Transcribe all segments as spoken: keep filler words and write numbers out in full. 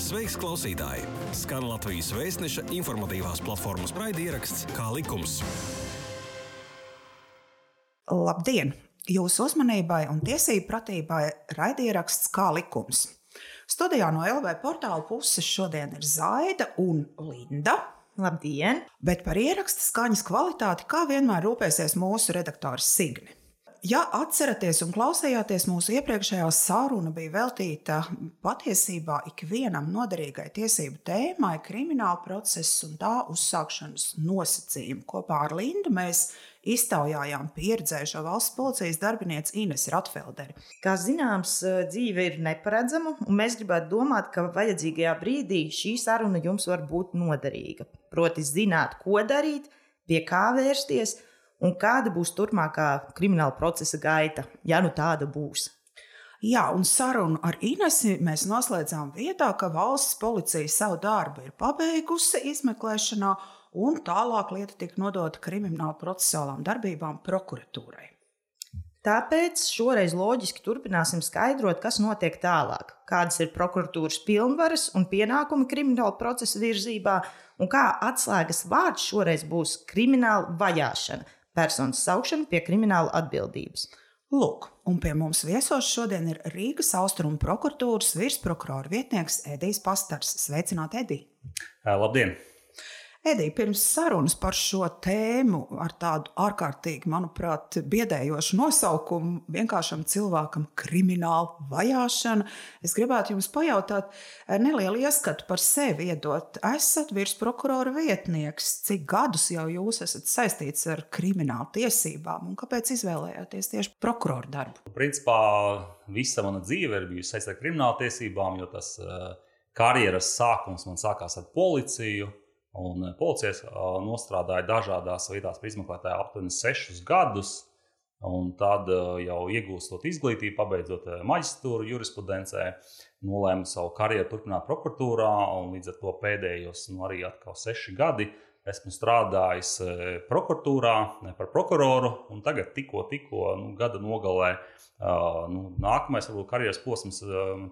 Sveiks, klausītāji! Skan Latvijas Vēstneša informatīvās platformas raidieraksts Kā likums. Labdien! Jūsu uzmanībai un tiesību pratībai raidieraksts Kā likums. Studijā no L V portāla puses šodien ir Zaida un Linda. Labdien! Bet par ieraksta skaņas kvalitāti kā vienmēr rūpēsies mūsu redaktors Signe. Ja atceraties un klausījāties, mūsu iepriekšējā saruna bija veltīta patiesībā ikvienam noderīgai tiesību tēmai, krimināla procesa un tā uzsākšanas nosacījumu. Kopā ar Lindu mēs iztaujājām pieredzējušo valsts policijas darbinieci Inesu Ratfelderi. Kā zināms, dzīve ir neparedzama, un mēs gribētu domāt, ka vajadzīgajā brīdī šī saruna jums var būt noderīga. Proti zināt, ko darīt, pie kā vērsties, un kāda būs turpmākā krimināla procesa gaita, ja nu tāda būs. Jā, un sarunu ar Inesi mēs noslēdzām vietā, ka valsts policija savu darbu ir pabeigusi izmeklēšanā, un tālāk lieta tika nodota krimināla procesuālām darbībām prokuratūrai. Tāpēc šoreiz loģiski turpināsim skaidrot, kas notiek tālāk, kādas ir prokuratūras pilnvaras un pienākumi krimināla procesa virzībā, un kā atslēgas vārds šoreiz būs krimināla vajāšana, personas saukšana pie krimināla atbildības. Lūk, un pie mums viesos šodien ir Rīgas Austrumu prokuratūras virsprokurora vietnieks Edijs Pastars. Sveicināt, Edij! Labdien! Edij, pirms sarunas par šo tēmu ar tādu ārkārtīgi, manuprāt, biedējošu nosaukumu vienkāršam cilvēkam krimināla vajāšana, es gribētu jums pajautāt nelielu ieskatu par sevi iedot. Esat virsprokurora vietnieks. Cik gadus jau jūs esat saistīts ar kriminālu tiesībām un kāpēc izvēlējāties tieši prokuroru darbu? Principā visa mana dzīve ir bijusi saistīta ar kriminālu tiesībām, jo tas karjeras sākums man sākās ar policiju. Un policijas nostrādāja dažādās vietās par izmeklētāju aptuveni sešus gadus, un tad jau iegūstot izglītību, pabeidzot maģistratūru jurisprudencē, nolēmu savu karjeru turpināt prokuratūrā, un līdz ar to pēdējos nu, arī atkal seši gadi esmu strādājis prokuratūrā par prokuroru, un tagad tikko, tikko nu, gada nogalē nu, nākamais varbūt karjeras posms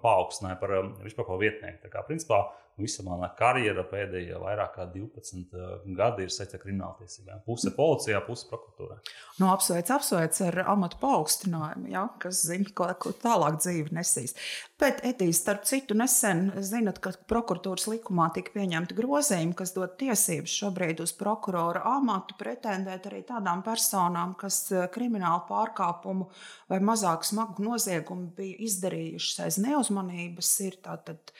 paaugstināja par virsprokuroru vietnieku. Tā kā principā visa mana karjera pēdējie vairāk kā divpadsmit gadi ir saistīta ar krimināltiesībām. Puse policijā, puse prokuratūrā. Nu, apsveic, apsveic ar amatu paaugstinājumu, ja, kas zina, ko, ko tālāk dzīve nesīs. Bet, Edij, starp citu, nesen zinat, ka prokuratūras likumā tika pieņemta grozījumi, kas dod tiesības šobrīd uz prokurora amatu pretendēt arī tādām personām, kas kriminālu pārkāpumu vai mazāk smagu noziegumu bija izdarījušas aiz neuzmanības, ir tātad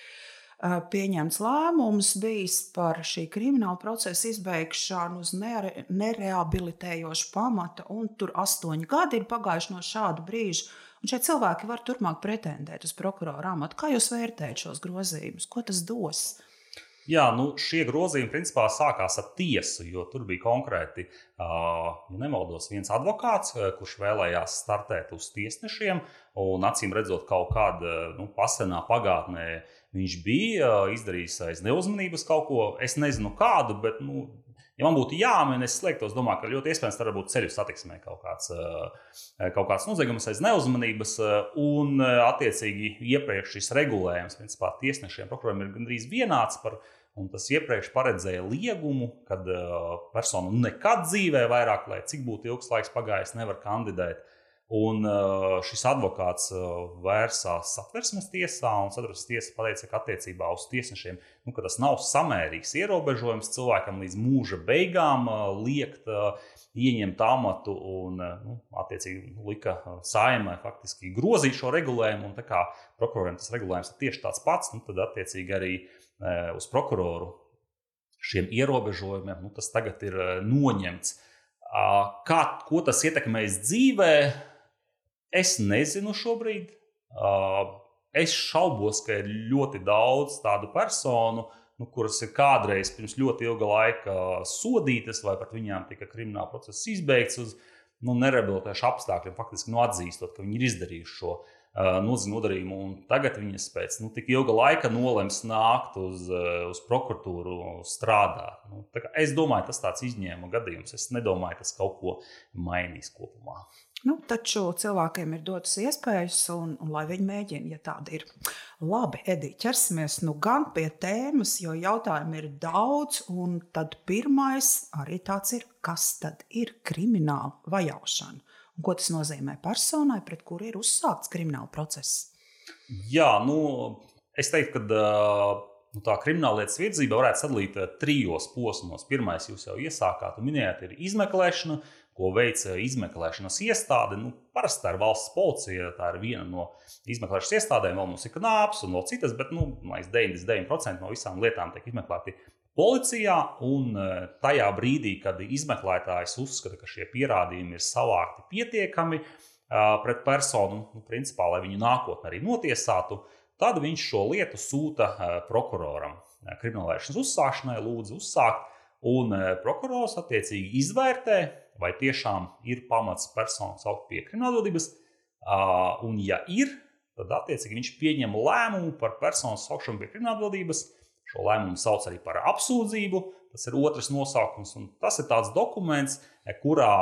pieņemts lēmums bijis par šī krimināla procesa izbeigšanu uz nere, nereabilitējošu pamata, un tur astoņi gadi ir pagājuši no šāda brīža, un šie cilvēki var turpmāk pretendēt uz prokurora amatu. Kā jūs vērtējat šos grozījumus? Ko tas dos? Jā, nu šie grozījumi principā sākās ar tiesu, jo tur bija konkrēti, ja nemaldos, viens advokāts, kurš vēlējās startēt uz tiesnešiem, un acīm redzot kaut kāda nu, pasenā pagātnē viņš bija izdarījis aiz neuzmanības kaut ko, es nezinu kādu, bet, nu, ja man būtu jāmin, es slēgtos, domāju, ka ļoti iespējams tā būtu ceļu satiksmē kaut kāds, kaut kāds noziegums aiz neuzmanības, un attiecīgi iepriekš šis regulējums, principā tiesnešiem, prokuroriem ir gandrīz vienāds par, un tas iepriekš paredzēja liegumu, kad persona nekad dzīvē vairāk, lai cik būtu ilgs laiks pagājis, nevar kandidēt. Un šis advokāts vērsās Satversmes tiesā, un Satversmes tiesa pateica, ka attiecībā uz tiesnešiem, nu, ka tas nav samērīgs ierobežojums cilvēkam līdz mūža beigām liekt ieņemt amatu, un nu, attiecīgi lika Saeimai faktiski grozīt šo regulējumu, un tā kā prokuroriem tas regulējums ir tieši tāds pats, nu, tad attiecīgi arī uz prokuroru šiem ierobežojumiem, nu, tas tagad ir noņemts. Kā, ko tas ietekmēs dzīvē? Es nezinu šobrīd. Es šaubos, ka ir ļoti daudz tādu personu, nu, kuras ir kādreiz pirms ļoti ilga laika sodītas, vai pat viņām tika krimināla process izbeigts uz nu, nerehabilitējušu apstākļiem, faktiski nu, atzīstot, ka viņi ir izdarījuši šo uh, nodarījumu, un tagad viņas pēc nu, tik ilga laika nolems nākt uz, uh, uz prokuratūru strādāt. Nu, tā kā es domāju, tas tāds izņēmuma gadījums. Es nedomāju, tas kaut ko mainīs kopumā. Nu, taču cilvēkiem ir dotas iespējas, un, un lai viņi mēģina, ja tāda ir. Labi, Edī, ķersimies nu gan pie tēmas, jo jautājumu ir daudz, un tad pirmais arī tāds ir, kas tad ir krimināla vajāšana? Un ko tas nozīmē personai, pret kuru ir uzsākts krimināla process? Jā, nu, es teiktu, ka nu, tā krimināllietas virzība varētu sadalīt trijos posmos. Pirmais, jūs jau iesākāt un minējāt, ir izmeklēšana, ko veic izmeklēšanas iestāde. Nu, parasti tā ir valsts policija, tā ir viena no izmeklēšanas iestādēm, vēl mums ir knāps un vēl citas, bet nu, deviņdesmit deviņi procenti no visām lietām tiek izmeklēti policijā, un tajā brīdī, kad izmeklētājs uzskata, ka šie pierādījumi ir savākti pietiekami pret personu, nu, principā, lai viņu nākotnē arī notiesātu, tad viņš šo lietu sūta prokuroram. Kriminālvajāšanas uzsākšanai lūdzu uzsākt, un prokurors attiecīgi izvērtē, vai tiešām ir pamats personu saukt pie kriminālvadības, un ja ir, tad attiecīgi viņš pieņem lēmumu par personu saukšanu pie kriminālvadības. Šo lēmumu sauc arī par apsūdzību, tas ir otrs nosaukums, un tas ir tāds dokuments, kurā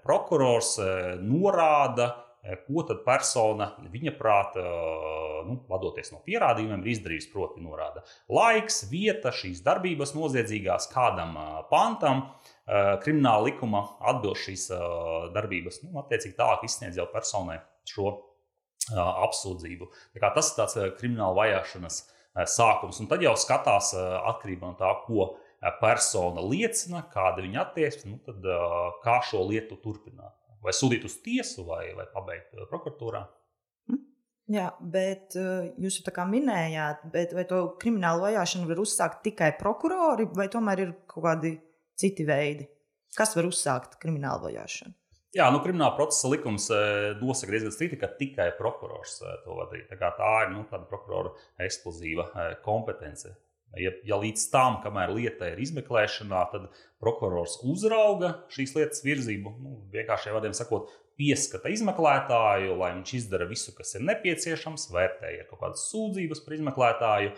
prokurors norāda, ko tad persona viņa prāta, nu, vadoties no pierādījumiem, ir izdarījusi, proti norāda laiks, vieta, šīs darbības noziedzīgās, kādam pantam, krimināla likuma atbilst šīs darbības, nu, attiecīgi tālāk izsniedz jau personai šo apsūdzību. Tā kā tas ir tāds krimināla vajāšanas sākums, un tad jau skatās atkarībā no tā, ko persona liecina, kāda viņa attieksme, nu, tad kā šo lietu turpināt. Vai sūtīt uz tiesu, vai, vai pabeigt prokuratūrā. Jā, bet jūs jau tā kā minējāt, bet vai to kriminālu vajāšanu var uzsākt tikai prokurori, vai tomēr ir kaut kādi citi veidi? Kas var uzsākt kriminālu vajāšanu? Jā, nu, krimināla procesa likums nosaka diezgan strikti, ka tikai prokurors to var darīt. Tā kā tā ir, nu, tāda prokurora ekskluzīva kompetence. Ja, ja līdz tam, kamēr lieta ir izmeklēšanā, tad prokurors uzrauga šīs lietas virzību, nu, vienkāršiem vārdiem sakot, pieskata izmeklētāju, lai viņš izdara visu, kas ir nepieciešams, vērtēja kaut kādas sūdzības par izmeklētāju,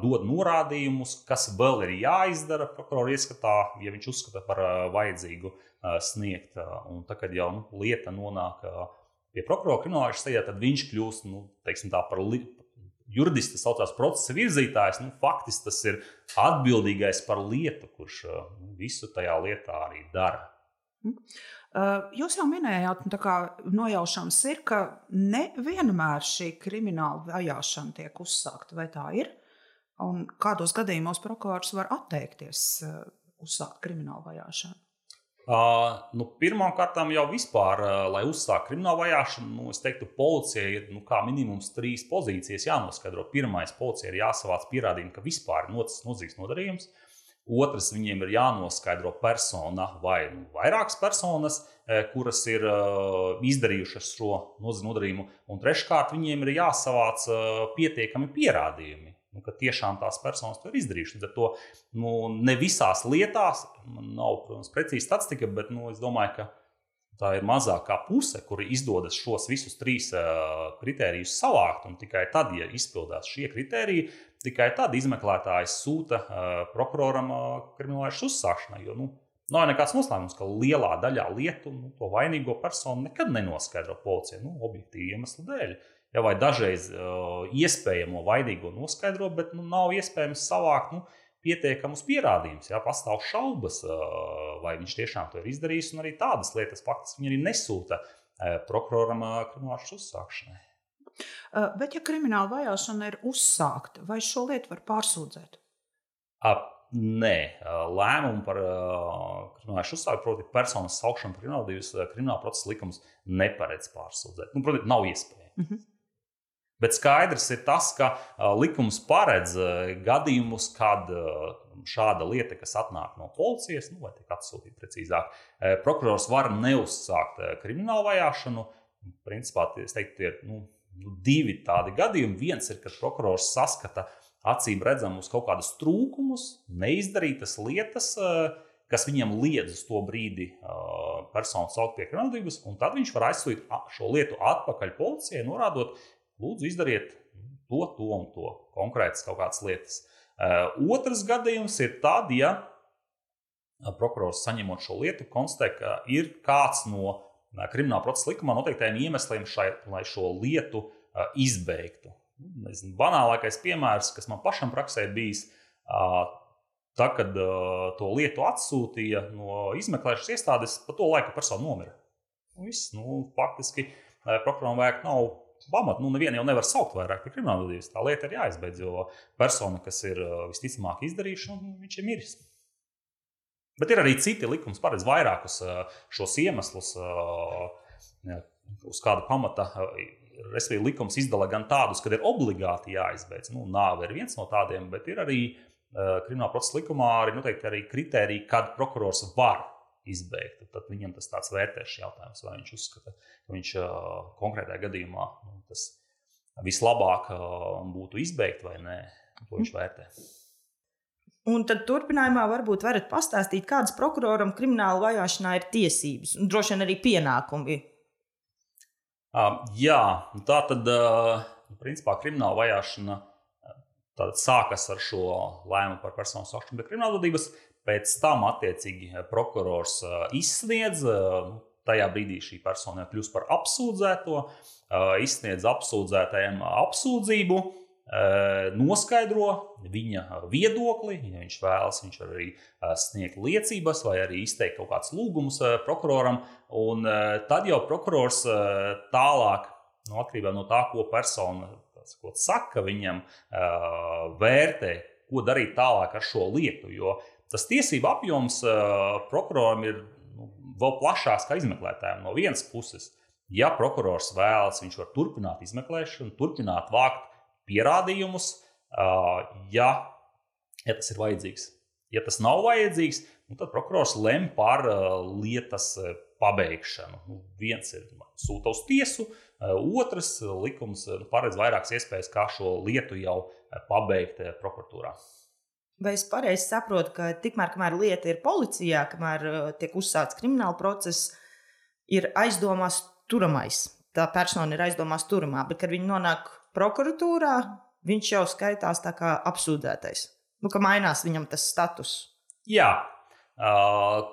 dod norādījumus, kas vēl ir jāizdara prokurora ieskatā, ja viņš uzskata par vajadzīgu sniegt. Un tā, kad jau nu, lieta nonāk pie prokurora kriminālvajāšanas sēdē, tad viņš kļūst, nu, teiksim tā, par li... juridisti saucās procesa virzītājs, nu, faktiski tas ir atbildīgais par lietu, kurš nu, visu tajā lietā arī dara. Jūs jau minējāt, tā kā nojaušams ir, ka nevienmēr šī krimināla vajāšana tiek uzsākta, vai tā ir? Un kādos gadījumos prokurors var atteikties uzsākt kriminālu vajāšanu? Uh, nu, pirmām kārtām jau vispār, uh, lai uzsāktu kriminālu vajāšanu, nu, es teiktu, policijai ir nu, kā minimums trīs pozīcijas jānoskaidro. Pirmais, policijai ir jāsavāc pierādījumi, ka vispār ir noticis noziedzīgs nodarījums. Otrs, viņiem ir jānoskaidro persona vai nu, vairākas personas, eh, kuras ir uh, izdarījušas šo noziedzīgu nodarījumu. Un treškārt, viņiem ir jāsavāc uh, pietiekami pierādījumi. Nu, ka tiešām tās personas to ir izdarījušas. Līdz ar to nu, ne visās lietās, man nav, protams, precīzi statistika, bet nu, es domāju, ka tā ir mazākā puse, kuri izdodas šos visus trīs uh, kritērijus savākt, un tikai tad, ja izpildās šie kritēriji, tikai tad izmeklētājs sūta uh, prokuroram uh, kriminālvajāšanas uzsākšanai. Jo nu, nav nekāds noslēmums, ka lielā daļā lietu nu, to vainīgo personu nekad nenoskaidro policija, nu, objektīvi iemeslu dēļ. Ja, vai dažreiz uh, iespējamo vainīgo noskaidro, bet nu, nav iespējams savākt nu, pietiekamus pierādījumus. Ja, pastāv šaubas, uh, vai viņš tiešām to ir izdarījis, un arī tādas lietas faktiski viņi arī nesūta uh, prokuroram uh, kriminālvajāšanas uzsākšanai. Uh, bet ja krimināla vajāšana ir uzsākta, vai šo lietu var pārsūdzēt? Uh, nē, uh, lēmumu par uh, kriminālvajāšanas uzsākšanu, proti personas saukšanu par kriminālvadības uh, krimināla procesa likums neparedz pārsūdzēt. Nu, proti, nav iespējams. Uh-huh. Bet skaidrs ir tas, ka uh, likums paredz uh, gadījumus, kad uh, šāda lieta, kas atnāk no policijas, nu, vai tiek atsūtīta precīzāk, uh, prokurors var neuzsākt uh, kriminālu vajāšanu. Principā, es teiktu, tie ir nu, divi tādi gadījumi. Viens ir, kad prokurors saskata acīm redzamus kaut kādus trūkumus, neizdarītas lietas, uh, kas viņiem liedz uz to brīdi uh, personu saukt pie kriminālvadības, un tad viņš var aizsūtīt šo lietu atpakaļ policijai, norādot, lūdzu, izdariet to, to un to, konkrētas kaut kādas lietas. Uh, otrs gadījums ir tad, ja prokurors saņemot šo lietu konstatē, ka ir kāds no krimināla procesa likumā noteiktajiem iemesliem, šai, lai šo lietu uh, izbeigtu. Nezinu, banālākais piemērs, kas man pašam praksē bijis, uh, tā, kad uh, to lietu atsūtīja no izmeklēšanas iestādes, pa to laiku persona nomira. Viss, nu, faktiski uh, prokuroram vajag nav pamat, nu, nevienu jau nevar saukt vairāk par kriminālvadības. Tā lieta ir jāizbeidz, jo persona, kas ir uh, visticamāk izdarījuši, nu, viņš ir miris. Bet ir arī citi likums, paredz vairākus uh, šos iemeslus, uh, ja, uz kāda pamata. Uh, Respektīvi, likums izdala gan tādus, kad ir obligāti jāizbeidz. Nu, nāve ir viens no tādiem, bet ir arī uh, krimināla procesa likumā arī noteikti arī kritēriji, kad prokurors var izbeigt. Tad viņam tas tāds vērtēšs jautājums, vai viņš uzskata, ka viņš uh, konkrētajā gadījumā nu, tas vislabāk uh, būtu izbeigt vai nē, to viņš vērtē. Un tad turpinājumā varbūt varat pastāstīt, kādas prokuroram krimināla vajāšanā ir tiesības un droši vien arī pienākumi. Uh, jā, tā tad, uh, principā, krimināla vajāšana tātad sākas ar šo lēmumu par personu saukšanu pie kriminālvadības. Pēc tam, attiecīgi, prokurors izsniedz, tajā brīdī šī persona kļūst par apsūdzēto, izsniedz apsūdzētajam apsūdzību, noskaidro viņa viedokli, ja viņš vēlas, viņš var arī sniegt liecības vai arī izteikt kaut kāds lūgumus prokuroram, un tad jau prokurors tālāk, no atkarībā no tā, ko persona ko saka, viņam vērtē, ko darīt tālāk ar šo lietu, jo tas tiesība apjoms uh, prokuroram ir nu, vēl plašāks kā izmeklētājiem. No vienas puses, ja prokurors vēlas, viņš var turpināt izmeklēšanu, turpināt vākt pierādījumus, uh, ja, ja tas ir vajadzīgs. Ja tas nav vajadzīgs, nu, tad prokurors lem par uh, lietas pabeigšanu. Nu, viens ir sūta uz tiesu, uh, otrs likums uh, paredz vairākas iespējas, kā šo lietu jau uh, pabeigt uh, prokuratūrā. Vai es pareizi saprotu, ka tikmēr, kamēr lieta ir policijā, kamēr tiek uzsākts krimināla process, ir aizdomās turamais. Tā persona ir aizdomās turamā, bet, kad viņi nonāk prokuratūrā, viņš jau skaitās tā kā apsūdzētais. Nu, ka mainās viņam tas status. Jā.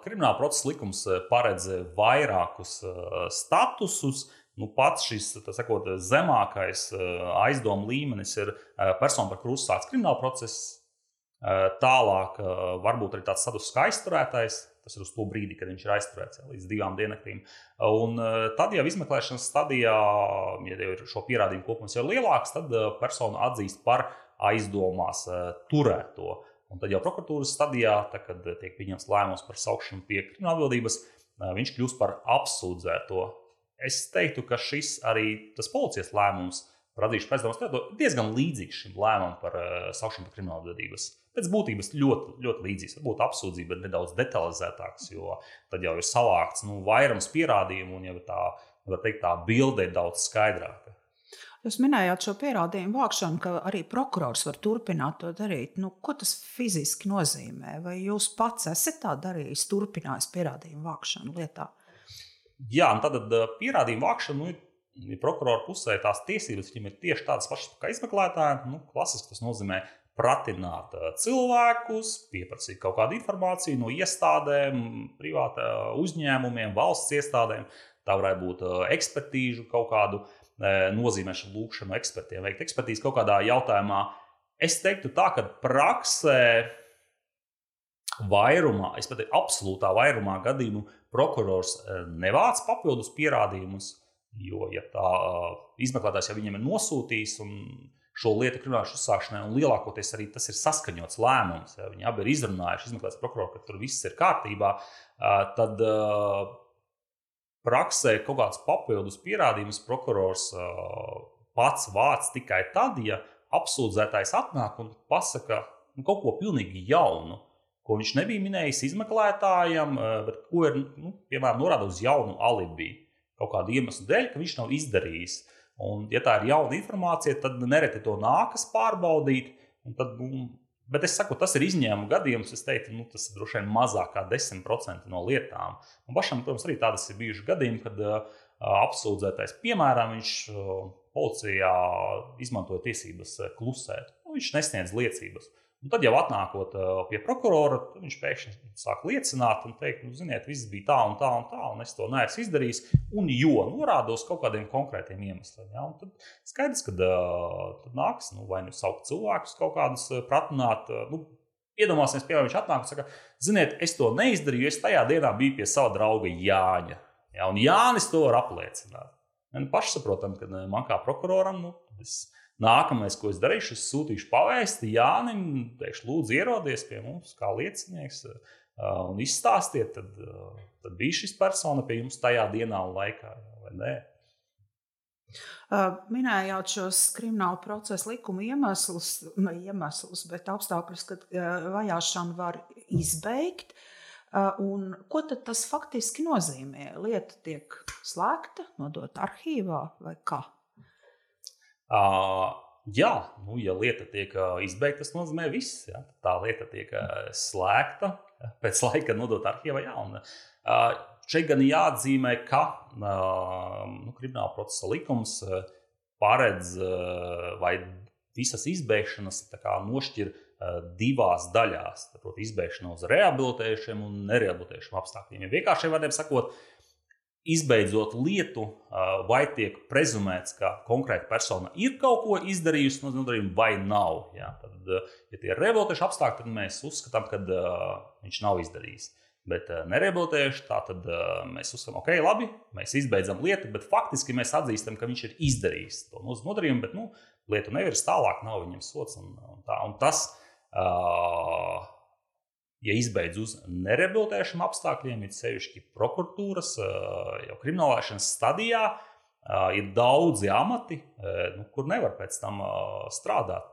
Krimināla procesa likums paredz vairākus statusus. Nu, pats šis tā sakot, zemākais aizdomu līmenis ir persona, par kuru uzsākts krimināla process. Tālāk varbūt arī tāds status kā aizturētais, tas ir uz to brīdi, kad viņš ir aizturēts līdz divām diennaktīm. Un tad jau izmeklēšanas stadijā, ja jau ir šo pierādījumu kopums jau lielāks, tad personu atzīst par aizdomās turēto. Un tad jau prokuratūras stadijā, tad, kad tiek pieņemts lēmums par saukšanu pie kriminālvadības, viņš kļūst par apsūdzēto. Es teiktu, ka šis arī tas policijas lēmums par atzīšanu par aizdomās turēto diezgan līdzīgs šim lēmumam par saukšanu pie kriminālvadības. Pēc būtības ļoti, ļoti līdzīgs. Varbūt apsūdzība ir nedaudz detalizētāks, jo tad jau ir savākts nu, vairums pierādījumu un jau tā, var teikt, tā bilde ir daudz skaidrāka. Jūs minējāt šo pierādījumu vākšanu, ka arī prokurors var turpināt to darīt. Nu, ko tas fiziski nozīmē? Vai jūs pats esat tā darījis, turpinājis pierādījumu vākšanu lietā? Jā, un tad pierādījumu vākšanu nu, ir prokurora pusē tās tiesības, viņam ir tieši tādas pašas kā izmeklētājiem. Nu, klasiski tas nozīmē pratināt cilvēkus, pieprasīt kaut kādu informāciju no iestādēm, privāta uzņēmumiem, valsts iestādēm. Tā varētu būt ekspertīžu kaut kādu nozīmēšanu, lūkšanu ekspertiem, veikt ekspertīzi kaut kādā jautājumā. Es teiktu tā, ka praksē vairumā, es pat teiktu absolūtā vairumā gadījumu prokurors nevāc papildus pierādījumus, jo, ja tā izmeklētājs jau viņiem ir nosūtījis un šo lietu kriminālās uzsākšanai, un lielākoties arī tas ir saskaņots lēmums. Ja viņi abi ir izrunājuši, izmeklēts prokuroru, ka tur viss ir kārtībā, tad praksē kaut kāds papildus pierādījumus prokurors pats vāc tikai tad, ja apsūdzētājs atnāk un pasaka nu, kaut ko pilnīgi jaunu, ko viņš nebija minējis izmeklētājam, bet ko ir, nu, piemēram, norāda uz jaunu alibi, kaut kādu iemeslu dēļ, ka viņš nav izdarījis. Un, ja tā ir jauna informācija, tad nereti to nākas pārbaudīt. Tad, nu, bet es saku, tas ir izņēmuma gadījums. Es teiktu, nu, tas ir droši vien mazāk kā desmit procenti no lietām. Un pašam, protams, arī tādas ir bijušas gadījumi, kad uh, apsūdzētais, piemēram, viņš uh, policijā izmantoja tiesības klusēt. Nu, viņš nesniedz liecības. Un tad jau atnākot pie prokurora, viņš pēkšņi sāk liecināt un teikt, nu, ziniet, viss bija tā un tā un tā, un es to neesmu izdarījis, un jo norādos kaut kādiem konkrētiem iemesliem. Ja? Un tad skaidrs, ka tad nāks, nu, vai nu saukt cilvēkus kaut kādus pratināt. Nu, iedomāsimies, piemēram, viņš atnāk un saka, ziniet, es to neizdarīju, es tajā dienā biju pie sava drauga Jāņa. Ja? Un Jānis to var apliecināt. Un paši saprotam, ka man kā prokuroram, nu, es... Nākamais, ko es darīšu, es sūtīšu pavēsti Jānim, teikšu, lūdzu ierodies pie mums kā liecinieks un izstāstiet, tad, tad bija šis persona pie jums tajā dienā un laikā, vai nē? Minējāt šos kriminālu procesu likuma iemeslus, ne iemeslus, bet apstākļus, kad vajāšanu var izbeigt. Un ko tad tas faktiski nozīmē? Lieta tiek slēgta, nodota arhīvā vai kā? Uh, jā, nu, ja lieta tiek uh, izbeigta, tas nozīmē viss. Ja? Tā lieta tiek uh, slēgta, pēc laika nodot arhīvā. Jā, un, uh, šeit gan jāatzīmē, ka uh, nu, krimināla procesa likums uh, paredz uh, vai visas izbeigšanas tā kā nošķir uh, divās daļās. Tātad izbeigšana uz rehabilitējušiem un nerehabilitējušiem apstākļiem. Ja vienkāršiem vārdiem sakot, izbeidzot lietu, vai tiek prezumēts, ka konkrēta persona ir kaut ko izdarījusi no nodarījuma vai nav. Ja, tad, ja tie ir rehabilitējuši apstākļi, tad mēs uzskatām, ka uh, viņš nav izdarījis. Bet uh, nerehabilitējuši, tā tad uh, mēs uzskatām, ok, labi, mēs izbeidzam lietu, bet faktiski mēs atzīstam, ka viņš ir izdarījis to nodarījumu, bet nu, lietu nevirs tālāk, nav viņam sots. Un, un, tā, un tas, uh, ja izbeidz uz nerehabilitējušiem apstākļiem, ir sevišķi prokuratūras, jau kriminālvajāšanas stadijā, ir daudzi amati, nu, kur nevar pēc tam strādāt.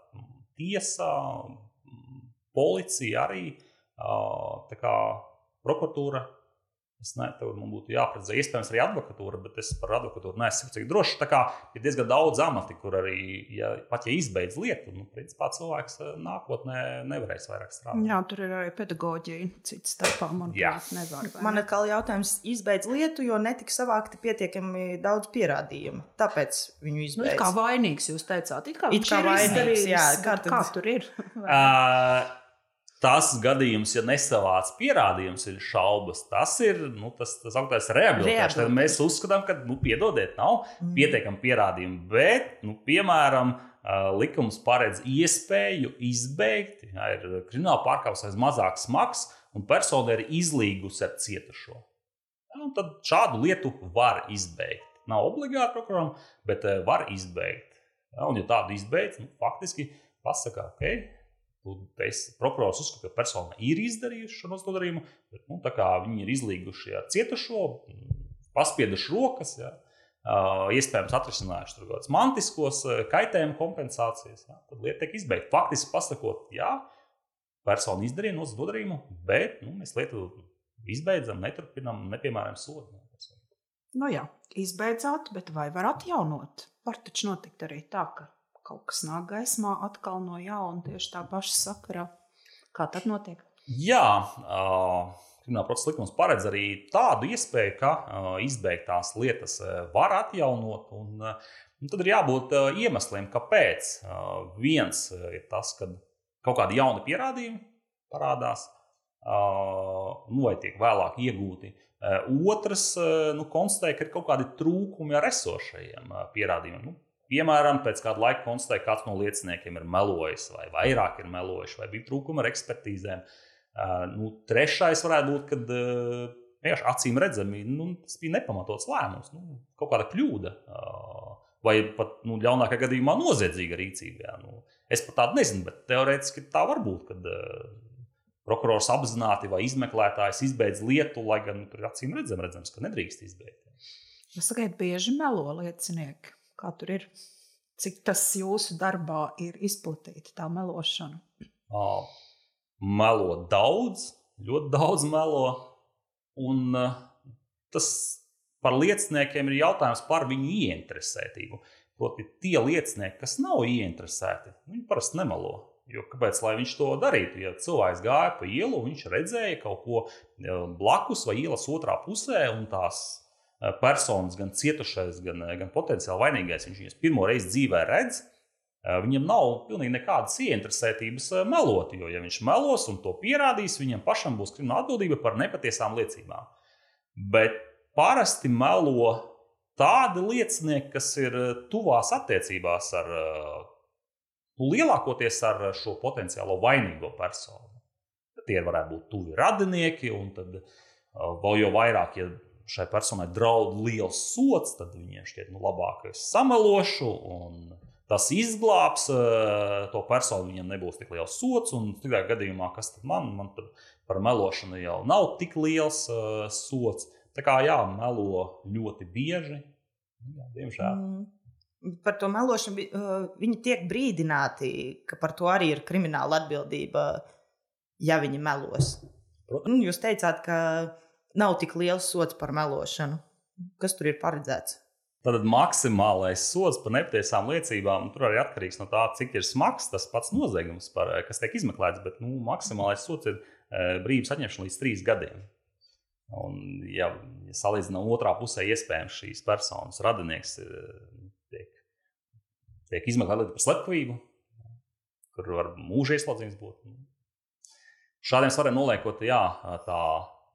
Tiesa, policija arī, tā kā prokuratūra. Es ne, tev man būtu jāprecizē, iespējams arī advokatūra, bet es par advokatūru neesmu cik drošs. Tā kā ir diezgan daudz amati, kur arī, ja, pat ja izbeidz lietu, nu, principā cilvēks nākotnē nevarēs vairāk strādāt. Jā, tur ir arī pedagoģija, cits starpā, manuprāt, nevar. Vai man atkal jautājums, izbeidz lietu, jo netika savākti pietiekami daudz pierādījumu. Tāpēc viņu izbeidz. Nu, kā vainīgs jūs teicāt, it kā it viņš kā ir vainīgs, izdarījis, jā, kā, tad... kā tur ir? uh, Tas gadījums, ja nesavāc pierādījums, ir šaubas. Tas ir nu, tas, tas augtais rehabilitēšana. Tad mēs uzskatām, ka, nu, piedodiet, nav mm. pietiekami pierādījumi. Bet, nu, piemēram, likums paredz iespēju izbeigt, ja ir krimināla pārkāpums vai mazāk smags, un persona ir izlīgusi ar cietušo. Ja, tad šādu lietu var izbeigt. Nav obligāti prokuroram, bet var izbeigt. Ja, un ja tādu izbeidz, nu, faktiski pasaka, ok, prokurors uzskata, ka persona ir izdarījusi šo nodarījumu, bet nu, tā kā viņi ir izlīguši ar cietušo, paspieduši rokas, ja, iespējams atrisinājuši tur kādas mantiskos kaitējumu kompensācijas, ja, tad lieta tiek izbeigta. Faktiski pasakot, jā, persona izdarīja nodarījumu, bet nu, mēs lietu izbeidzam, neturpinam, nepiemērojam sodu. Nu jā, izbeidzāt, bet vai var atjaunot? Var taču notikt arī tā, ka kaut kas nāk gaismā atkal no jauna tieši tā paša sakarā. Kā tad notiek? Jā, uh, krimināla procesa likums paredz arī tādu iespēju, ka uh, izbeigtās lietas uh, var atjaunot. Un, uh, un tad ir jābūt uh, iemesliem, kāpēc. Uh, viens uh, ir tas, ka kaut kādi jauni pierādījumi parādās, uh, nu, vai tiek vēlāk iegūti. Uh, otrs, uh, nu, konstatē, ka ir kaut kādi trūkumi ar esošajiem uh, pierādījumiem. Nu, Piemēram, pēc kāda laika konstatēja, ka kāds no lieciniekiem ir melojis, vai vairāk ir melojuši, vai bija trūkumi ar ekspertīzēm. Uh, nu, trešais varētu būt, kad uh, vienkārši acīm redzami, nu, tas bija nepamatots lēmums, nu, kaut kāda kļūda, uh, vai pat nu, ļaunākā gadījumā noziedzīga rīcība. Jā. Nu, es pat tādu nezinu, bet teorētiski tā var būt, kad uh, prokurors apzināti vai izmeklētājs izbeidz lietu, lai gan tur acīm redzam, redzams, ka nedrīkst izbeigt. Jūs sakiet, bieži melo liecinieki. Kā tur ir? Cik tas jūsu darbā ir izplatīta, tā melošana? Uh, melo daudz, ļoti daudz melo. Un uh, tas par lieciniekiem ir jautājums par viņu ieinteresētību. Proti, tie liecinieki, kas nav ieinteresēti, viņi parasti nemelo. Jo kāpēc, lai viņš to darītu? Ja cilvēks gāja pa ielu, viņš redzēja kaut ko blakus vai ielas otrā pusē, un tās personas, gan cietušais, gan, gan potenciāli vainīgais, viņš viņas pirmo reizi dzīvē redz, Viņam nav pilnīgi nekādas ieinteresētības melot, jo, ja viņš melos un to pierādīs, viņam pašam būs krimināla atbildība par nepatiesām liecībām. Bet parasti melo tādi liecinieki, kas ir tuvās attiecībās ar, nu, lielākoties ar šo potenciālo vainīgo personu. Tie varētu būt tuvi radinieki, un tad vēl jau vairāk, ja šai personai draud liels sots, tad viņiem šķiet, nu, labāk es samelošu, un tas izglābs to personu, viņam nebūs tik liels sots, un tikai gadījumā, kas tad man, man tad par melošanu jau nav tik liels uh, sots. Tā kā jā, melo ļoti bieži, jā, diemžēl. Mm. Par to melošanu uh, viņi tiek brīdināti, ka par to arī ir krimināla atbildība, ja viņi melos. Protams. Jūs teicāt, ka nav tik liels sots par melošanu. Kas tur ir paredzēts? Tātad maksimālais sods par nepatiesām liecībām, tur arī atkarīgs no tā, cik ir smags tas pats noziegums, par, kas tiek izmeklēts, bet nu, maksimālais sods ir e, brīvības atņemšana līdz trīs gadiem. Un, ja, ja salīdzinām otrā pusē, iespējams šīs personas radinieks ir, tiek, tiek izmeklēta par slepkavību, kur var mūža ieslodzījums būt. Šādiem svariem noliekot, jā, tā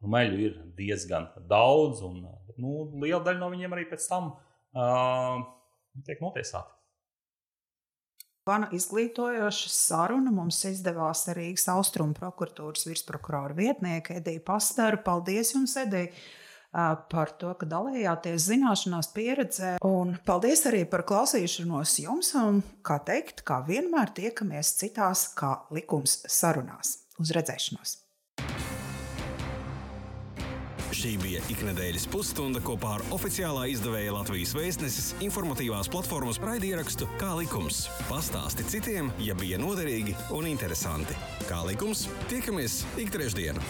nu, meļu ir diezgan daudz, un nu, liela daļa no viņiem arī pēc tam Uh, tiek notiesāti. Vana izglītojoša saruna mums izdevās Rīgas Austrumu prokuratūras virsprokurora vietnieka Edija Pastaru. Paldies jums, Edija, par to, ka dalījāties zināšanās pieredzē. Un paldies arī par klausīšanos jums. Un, kā teikt, kā vienmēr tiekamies citās kā likums sarunās. Uz redzēšanos! Šī bija iknedēļas pusstunda kopā ar oficiālā izdevēja Latvijas Vēstneses informatīvās platformas raidierakstu Kā likums. Pastāsti citiem, ja bija noderīgi un interesanti. Kā likums, tiekamies ik trešdienu.